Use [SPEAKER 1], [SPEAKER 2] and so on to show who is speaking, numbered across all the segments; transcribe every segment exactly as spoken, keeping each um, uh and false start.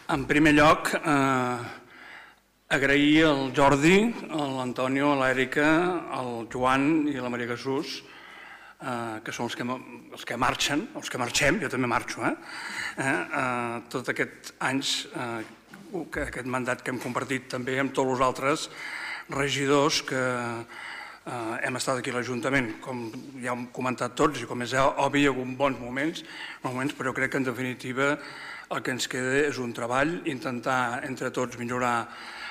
[SPEAKER 1] En primer lloc, agrair al Jordi, a l'Antonio, a l'Èrica, al Joan i a la Maria Jesús, que són els que marxen, els que marxem, jo també marxo, tots aquests anys, aquest mandat que hem compartit també amb tots els altres regidors que hem estat aquí a l'Ajuntament. Com ja hem comentat tots i com és obvi, hi ha hagut bons moments, però crec que en definitiva el que ens queda és un treball, intentar entre tots millorar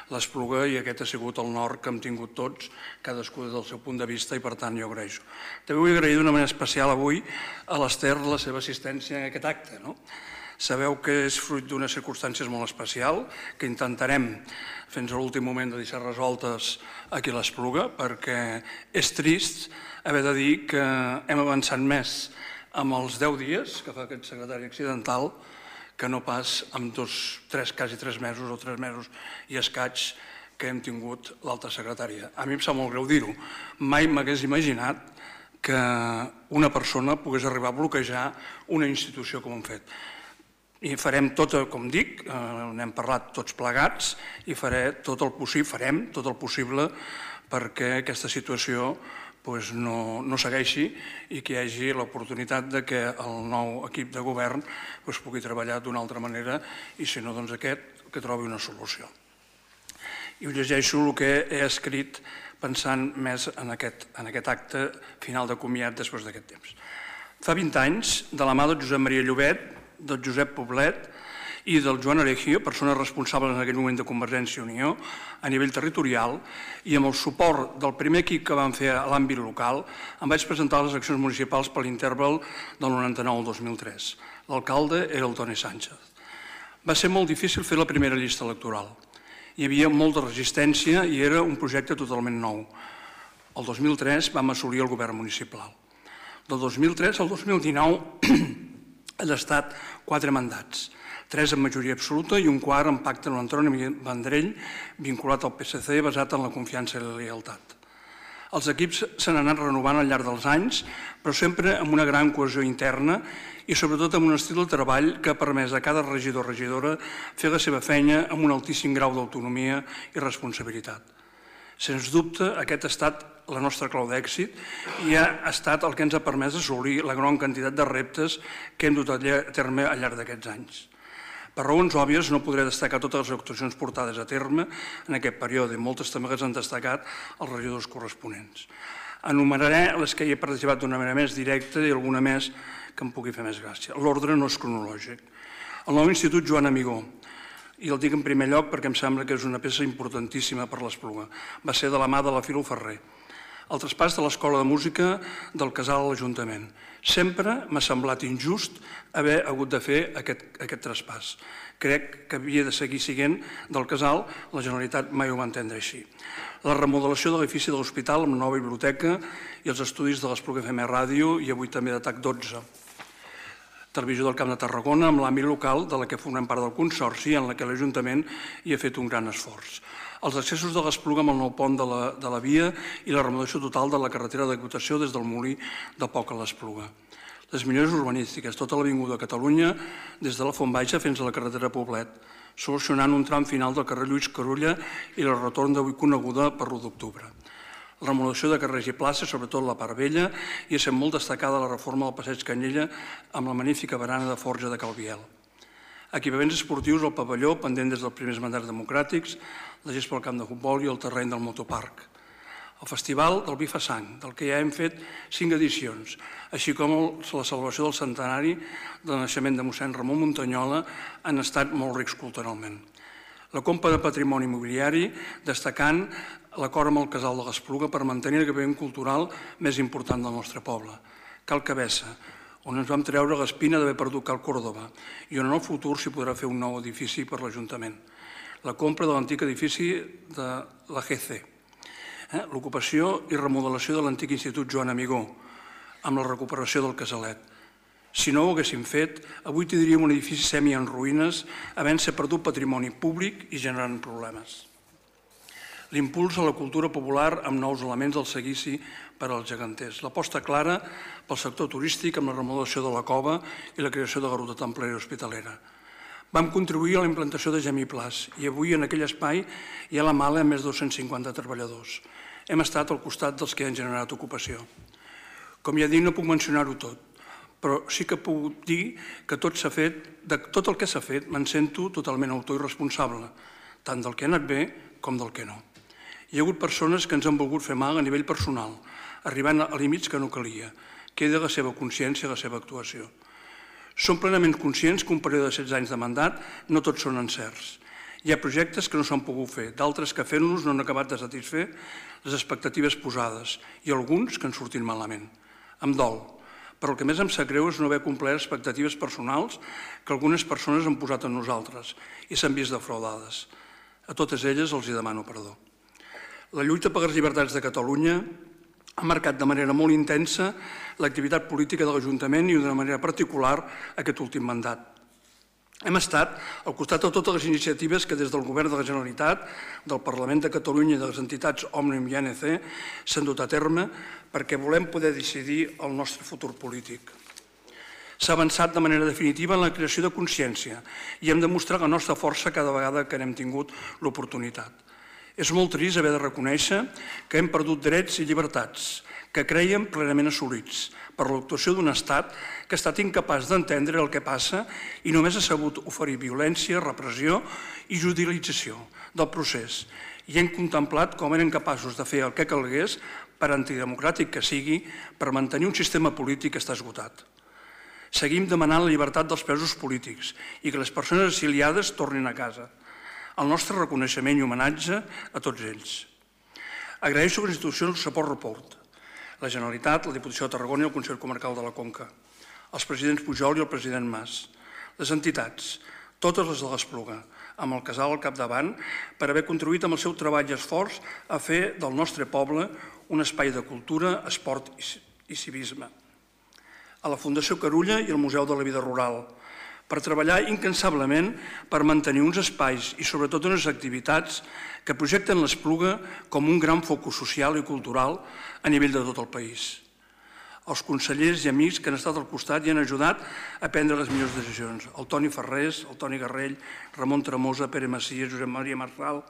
[SPEAKER 1] l'Espluga, i aquest ha sigut el nord que hem tingut tots, cadascú des del seu punt de vista, i per tant jo agraeixo. També vull agrair d'una manera especial avui a l'Ester la seva assistència en aquest acte. Sabeu que és fruit d'unes circumstàncies molt especials, que intentarem fins a l'últim moment de deixar resoltes aquí a l'Espluga, perquè és trist haver de dir que hem avançat més amb els deu dies que fa aquest secretari accidental que no pas amb dos, tres, quasi tres mesos o tres mesos i escaig que hem tingut l'alta secretària. A mi em sap molt greu dir-ho. Mai m'hagués imaginat que una persona pogués arribar a bloquejar una institució com hem fet. I farem tot, com dic, n'hem parlat tots plegats, i faré tot el possible, farem tot el possible perquè aquesta situació no segueixi i que hi hagi l'oportunitat que el nou equip de govern pugui treballar d'una altra manera i, si no, doncs aquest que trobi una solució. I us llegeixo el que he escrit pensant més en aquest acte final de comiat després d'aquest temps. Fa vint anys, de la mà del Josep Maria Llobet, del Josep Poblet i del Joan Aregio, persones responsables en aquell moment de Convergència i Unió, a nivell territorial, i amb el suport del primer equip que vam fer a l'àmbit local, em vaig presentar a les eleccions municipals per l'interval del noranta-nou al dos mil tres. L'alcalde era el Toni Sánchez. Va ser molt difícil fer la primera llista electoral. Hi havia molta resistència i era un projecte totalment nou. El dos mil tres vam assolir el govern municipal. Del dos mil tres al dos mil dinou han estat quatre mandats, tres en majoria absoluta i un quart en pacte amb l'Antoni Vendrell, vinculat al P S C, basat en la confiança i la lleialtat. Els equips s'han anat renovant al llarg dels anys, però sempre amb una gran cohesió interna i sobretot amb un estil de treball que ha permès a cada regidor o regidora fer la seva feina amb un altíssim grau d'autonomia i responsabilitat. Sens dubte, aquest ha estat la nostra clau d'èxit i ha estat el que ens ha permès assolir la gran quantitat de reptes que hem dut a terme al llarg d'aquests anys. Per raons òbvies no podré destacar totes les actuacions portades a terme en aquest període, moltes també les han destacat els regidors corresponents. Enumeraré les que hi he participat d'una manera més directa i alguna més que em pugui fer més gràcia. L'ordre no és cronològic. El nou Institut Joan Amigó, i el dic en primer lloc perquè em sembla que és una peça importantíssima per l'Espluga, va ser de la mà de la Filo Ferrer. El traspàs de l'Escola de Música del Casal a l'Ajuntament. Sempre m'ha semblat injust haver hagut de fer aquest traspàs. Crec que havia de seguir sent del Casal, la Generalitat mai ho va entendre així. La remodelació de l'edifici de l'Hospital amb la nova biblioteca i els estudis de l'Espluga F M Ràdio i avui també de T A C dotze. Televisió del Camp de Tarragona amb l'àmbit local de la que formem part del Consorci en la que l'Ajuntament hi ha fet un gran esforç. Els accessos de l'Espluga amb el nou pont de la via i la remodelació total de la carretera d'equitació des del Molí de Poc a l'Espluga. Les millores urbanístiques, tota l'avinguda de Catalunya, des de la Font Baixa fins a la carretera Poblet, solucionant un tram final del carrer Lluís Carulla i el retorn d'avui coneguda per l'u d'octubre. La remodelació de carrers i places, sobretot la part vella, i és molt destacada la reforma del passeig Canyella amb la magnífica barana de forja de Calviel. Equipaments esportius al pavelló, pendent des dels primers mandats democràtics, la gest pel camp de futbol i el terreny del motoparc. El Festival del Vi fa Sang, del que ja hem fet cinc edicions, així com la celebració del centenari del naixement de mossèn Ramon Muntanyola, han estat molt rics culturalment. La compra de patrimoni immobiliari, destacant l'acord amb el Casal de l'Espluga per mantenir l'equipament cultural més important del nostre poble, Cal Cabessa, on ens vam treure l'espina d'haver perdut Cal Còrdova i on en el futur s'hi podrà fer un nou edifici per l'Ajuntament. La compra de l'antic edifici de la G C, l'ocupació i remodelació de l'antic Institut Joan Amigó, amb la recuperació del Casalet. Si no ho haguéssim fet, avui tindríem un edifici semi en ruïnes, havent-se perdut patrimoni públic i generant problemes. L'impuls a la cultura popular amb nous elements del seguici per als geganters. L'aposta clara pel sector turístic amb la remodelació de la cova i la creació de la ruta templera i hospitalera. Vam contribuir a la implantació de Gemiplas i avui en aquell espai hi ha la Mala amb més de dos-cents cinquanta treballadors. Hem estat al costat dels que han generat ocupació. Com ja dic, no puc mencionar-ho tot, però sí que puc dir que tot s'ha fet, de tot el que s'ha fet me'n sento totalment autor i responsable, tant del que ha anat bé com del que no. Hi ha hagut persones que ens han volgut fer mal a nivell personal, arribant a límits que no calia. Queda la seva consciència i la seva actuació. Som plenament conscients que un període de setze anys de mandat no tots són encerts. Hi ha projectes que no s'han pogut fer, d'altres que fent-los no han acabat de satisfer les expectatives posades i alguns que han sortit malament. Em dol, però el que més em sap greu és no haver complert expectatives personals que algunes persones han posat en nosaltres i s'han vist defraudades. A totes elles els hi demano perdó. La lluita per les llibertats de Catalunya ha marcat de manera molt intensa l'activitat política de l'Ajuntament i d'una manera particular aquest últim mandat. Hem estat al costat de totes les iniciatives que des del Govern de la Generalitat, del Parlament de Catalunya i de les entitats Òmnium i A N C s'han dut a terme perquè volem poder decidir el nostre futur polític. S'ha avançat de manera definitiva en la creació de consciència i hem demostrat la nostra força cada vegada que n'hem tingut l'oportunitat. És molt trist haver de reconèixer que hem perdut drets i llibertats que crèiem plenament assolits per l'actuació d'un estat que ha estat incapaç d'entendre el que passa i només ha sabut oferir violència, repressió i judicialització del procés. I hem contemplat com eren capaços de fer el que calgués, per antidemocràtic que sigui, per mantenir un sistema polític que està esgotat. Seguim demanant la llibertat dels presos polítics i que les persones exiliades tornin a casa. El nostre reconeixement i homenatge a tots ells. Agraeixo a les institucions el suport report, la Generalitat, la Diputació de Tarragona i el Consell Comarcal de la Conca, els presidents Pujol i el president Mas, les entitats, totes les de l'Espluga, amb el casal al capdavant, per haver contribuït amb el seu treball i esforç a fer del nostre poble un espai de cultura, esport i civisme. A la Fundació Carulla i al Museu de la Vida Rural, per treballar incansablement per mantenir uns espais i sobretot unes activitats que projecten l'Espluga com un gran focus social i cultural a nivell de tot el país. Els consellers i amics que han estat al costat i han ajudat a prendre les millors decisions. El Toni Ferrés, el Toni Garrell, Ramon Tremosa, Pere Macias, Josep Maria Marçal,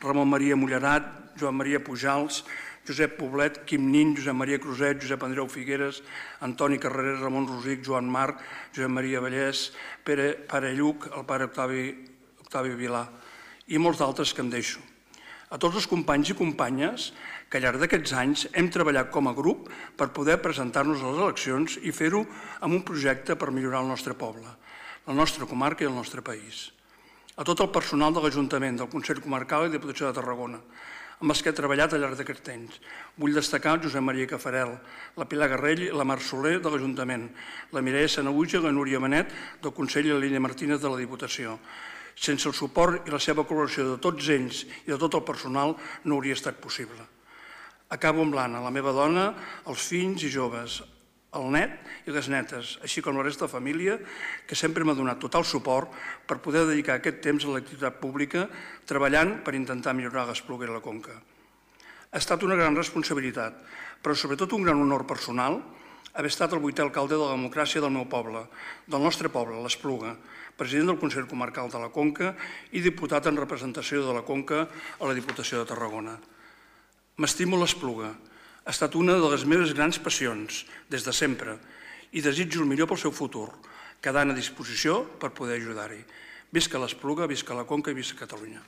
[SPEAKER 1] Ramon Maria Mullerat, Joan Maria Pujals, Josep Poblet, Quim Nin, Josep Maria Cruzet, Josep Andreu Figueres, Antoni Carreras, Ramon Rosic, Joan Marc, Josep Maria Vallès, Pere Lluc, el pare Octavi Vilà i molts d'altres que em deixo. A tots els companys i companyes que al llarg d'aquests anys hem treballat com a grup per poder presentar-nos a les eleccions i fer-ho amb un projecte per millorar el nostre poble, la nostra comarca i el nostre país. A tot el personal de l'Ajuntament, del Consell Comarcal i de Diputació de Tarragona, amb els que he treballat al llarg d'aquest temps. Vull destacar el Josep Maria Cafarel, la Pilar Garrell i la Mar Soler de l'Ajuntament, la Mireia Sanaüja i la Núria Manet del Consell i la Línia Martínez de la Diputació. Sense el suport i la seva col·laboració de tots ells i de tot el personal no hauria estat possible. Acabo amb l'Anna, la meva dona, els fills i joves, el net i les netes, així com la resta de família, que sempre m'ha donat total suport per poder dedicar aquest temps a l'activitat pública treballant per intentar millorar l'Espluga i la Conca. Ha estat una gran responsabilitat, però sobretot un gran honor personal haver estat el vuitè alcalde de la democràcia del meu poble, del nostre poble, l'Espluga, president del Consell Comarcal de la Conca i diputat en representació de la Conca a la Diputació de Tarragona. M'estimo l'Espluga. Ha estat una de les meves grans passions, des de sempre, i desitjo el millor pel seu futur, quedant a disposició per poder ajudar-hi. Visca l'Espluga, visca la Conca i visca Catalunya.